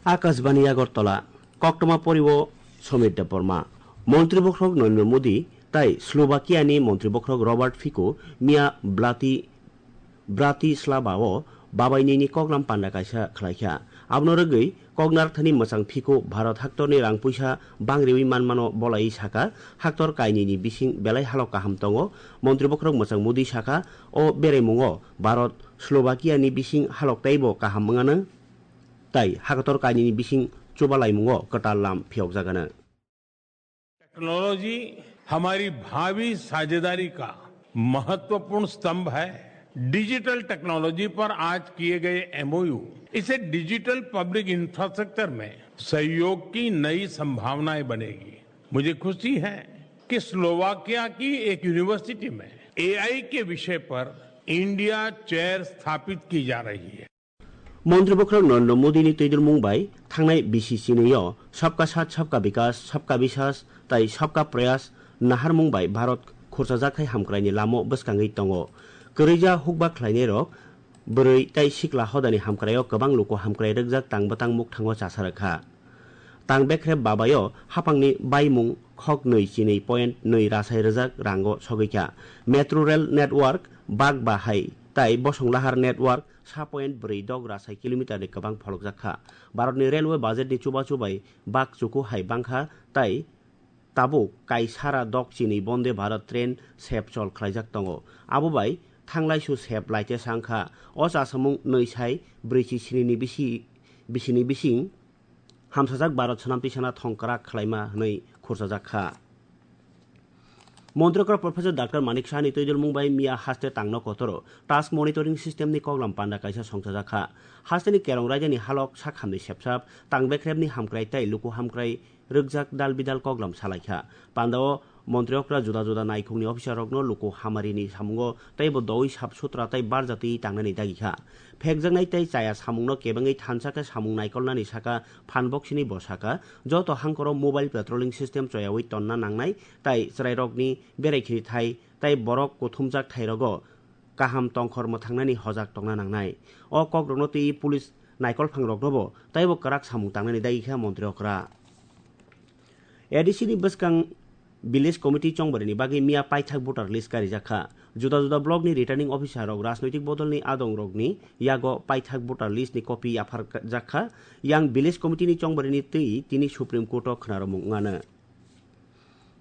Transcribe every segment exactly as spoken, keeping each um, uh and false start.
Akashbani Agartala, koktwma poriwo Somit Debbarma. Montri bokhorok Narendra Modi tai Slovakia ni montri bokhorok Robert Fico miya Blati-, Bratislava o babai nini koklam panda kaisa khlaikha. Abono rwgwi koknar thani mwchang Fico Bharat haktorni rang puisa bangriwi manmano bolai saka, haktor kainwini bising belai halok kaham tongo. Montri bokhorok mwchang Modi saka, o beraimungo Bharat Slovakia ni bising halok teibo kaham wngano. Tai hakator kainwini bising chubalaimungo kwtal lam phiyokjagano. Technology हमारी भावी साझेदारी का महत्वपूर्ण स्तंभ है। Digital technology पर आज किए गए एमओयू इसे डिजिटल पब्लिक इंफ्रास्ट्रक्चर में सहयोग की नई संभावनाएं बनेगी। मुझे खुशी है कि स्लोवाकिया की एक यूनिवर्सिटी में एआई के विषय पर इंडिया चेयर स्थापित की जा रही है। Montri bokhorok Narendra Modi ni twidulmung bai thangnai bisi chinwi o Sabka Saath, Sabka Vikas, Sabka Biswas tai Sabka Prayas naharmung bai Bharat khurchajak hai hamkraini lamo bwskangwi tongo. Kwrwija hukba khlainairok bwrwi tai sikla hodani hamkraio kwbang luku hamkrai rwkjak tang bwtang mukthango chasa rwkha. Tang bekrep babaio hapangni baimung khok nwi chinwi point nwi rasai rwjak rango sogwikha. Metro Rail Network bak bahai tai bosong lahar network sa point bwrwi dok rasai kilometer ni kwbang pholokjak kha. Bharatni railway budget ni chubachu bai bak chuku hai bangkha tai tabuk kaisara dok chini Bonde Bharat train sep chol khlaijak tongo. Abo bai thanglaisu sep laite sangkha. O chasamung nwi sai brwichi sinini bisi, bisini bising hamsajak Bharat swnamtwi sana thongkrak khlaima hwnwi khurchajak kha. Montri okra Professor Doctor Manik Saha ni twidulmung bai miya haste tangno kotoro task monitoring system ni koklam panda kaisa songchajak kha. Haste ni kerong raida ni halok sakhamni sepsap tang bekrep ni hamkrai tai luku hamkrai rwkjak dal bidal koklam salaikha. Pandao montri okra juda juda naikhungni officer rokno luku hamari ni samungo teibo doui sap sutra tai barjatwi tangnani dagikha. Phekjaknai tei chaya samungno kebengwi thansa khe samung naikolnani saka phan boksini bo saka, joto hangkoro mobile patrolling system choyaui tonna nangnai tai chwrairokni berai khiri thai tai borok kuthumjak thairogo kaham tongkhor mwthangnani hojak tongna nangnai. O kokrokno twiwi police naikolphangroknobo teibo kwrak samung tangnani dagikha montri okra. A D C ni bwskang village committee chongbarini bagwi miya paithak voter list karijak kha. Juda juda block ni returning officer rok rajnoitik bodol ni adong rok ni yago paithak voter list ni copy yapharjak kha. Yang village committee ni chongbarini twi tini Supreme Court o khwnaromung wngano.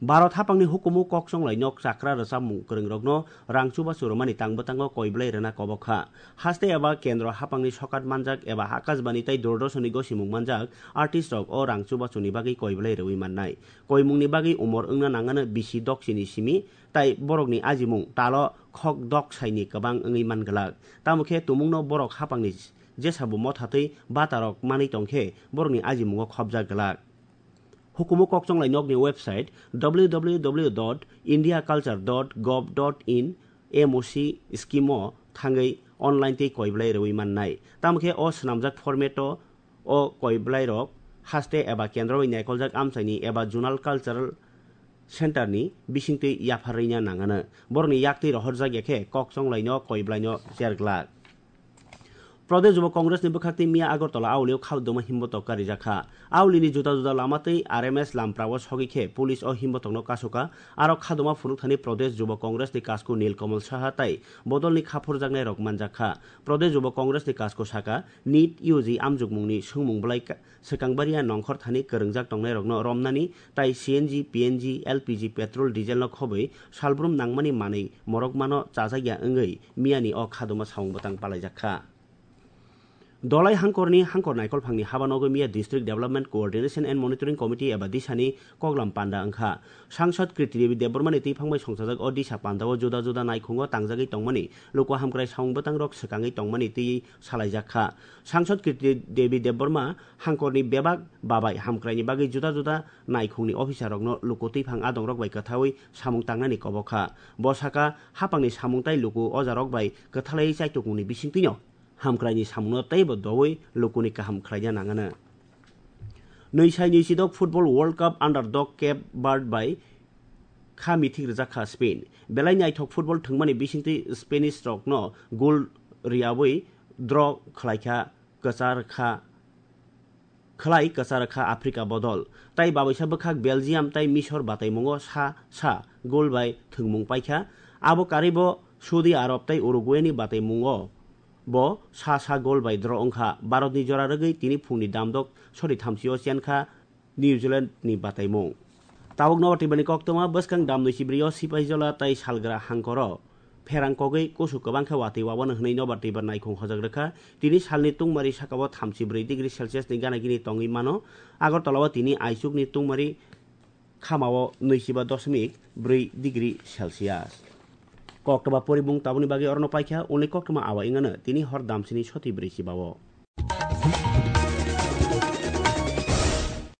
Bharat hapangni hukumu kok chonglai nok chakra rwchapmung kwrwng rokno rang chubachu rwmani tang bwtango koi belai rwna kobok kha. Haste eba kendro hapangni sokat manjak eba Akashbani tei Doordarshan ni gosimung manjak artist rok o rang chubachu ni bagwi koi belai rwui mannai. Koimungni bagwi umor wngna nangano bisi doksini simi, tai borokni ajimung talo khok dok saini kwbang wngwi man glak. Tamo khe tumungno borok hapangni jesabo mothatwi batarok manwi tong khe borokni ajimungo khopjak glak. Hukumu kokchonglai nokni website W W W dot india culture dot gov dot in M O C scheme o thangwi online tei koi belai rwui mannai. Tamo khe o swnamjak format o o koi belairok haste eba kendro bai naikoljak amchaini eba zonal cultural center ni bisingtwi yapharwina nangano. Borokni yaktwi rohorjak ya khe kokchonglaino koi belaino cher glak. Pradesh Yuba Congress ni bwkhak twi miya Agartala aulio khadoma himbotok karijak kha. Aulini juda juda lama tei R M S lamprao sogwi khe police o himbotokno kasu kha. Aro khadoma phunukthani Pradesh Yuba Congress ni kasku Nilkamal Saha tai bodolni khaphurjaknairok manjak kha. Pradesh Yuba Congress ni kasku saka, nit U G amjukmungni swngmung belai ka-, swkang baria nongkhor thani kwrwngjak tongnairokno romnani tai C N G, P N G, L P G, petrol, diesel no khobwi salbrum nangmani manwi morokmano chajakya wngwi miyani o khadoma samung bwtang palaijak kha. Dolai hangkorni hangkor naikolphangni habanogo miya District Development Coordination and Monitoring Committee eba disani koklam panda wngkha. Sangsad Kirti Devi Debbarmani twiphang bai songchajak o disa pandao juda juda naikhungo tangjagwi tongmani luku hamkrai samung bwtangrok swkangwi tongmani twiwi salaijak kha. Sangsad Kirti Devi Debbarma hangkorni bebak babai hamkraini bagwi juda juda naikhungni officerrokno luku twiphang adongrok bai kwthaui samung tangnani kobok kha. Bo saka, hapangni samung tai luku ojarok bai kwthalaiwi chaitukmungni bisingtwino hamkraini samungno teibo doui lukuni kaham khlaina nangano. Nwi sai nwi sidok Football World Cup underdog Cape Verde bai kha mithik rwjak kha Spain. Belai naithok football thwngmani bisingtwi Spanish rokno goal rwyaui draw khlaikha kwchar kha khlai kwchar kha Africa bodol. Tai babaisa bwkhak Belgium tai Misor bataimungo sa sa goal bai thwngmung paikha. Abo karwibo Saudi Arab tai Uruguay ni bataimungo bo sa sa goal bai draw wngkha. Bharat ni jora rwgwi tini phungni damdok sori thamsio chenkha New Zealand ni bataimung. Tabuk nobar twibani koktwma bwskang damnwi sibrio Sipaijala tai Salgra hangkoro pherang kogwi kusu kwbang khe watwi wabano hwnwi nobar twibar naikhung hojak rwkha. Tini salni tungmari sakao thamsi bwrwi degree Celsius ni gana gini tongwi mano. Agartala o tini aichukni tungmari khamao nwichiba dosmik bwrwi degree Celsius. Koktwma porimung tabukni bagwi orono paikha, uni koktwma awa wngano tini hor damsini soti bwrwi chibao.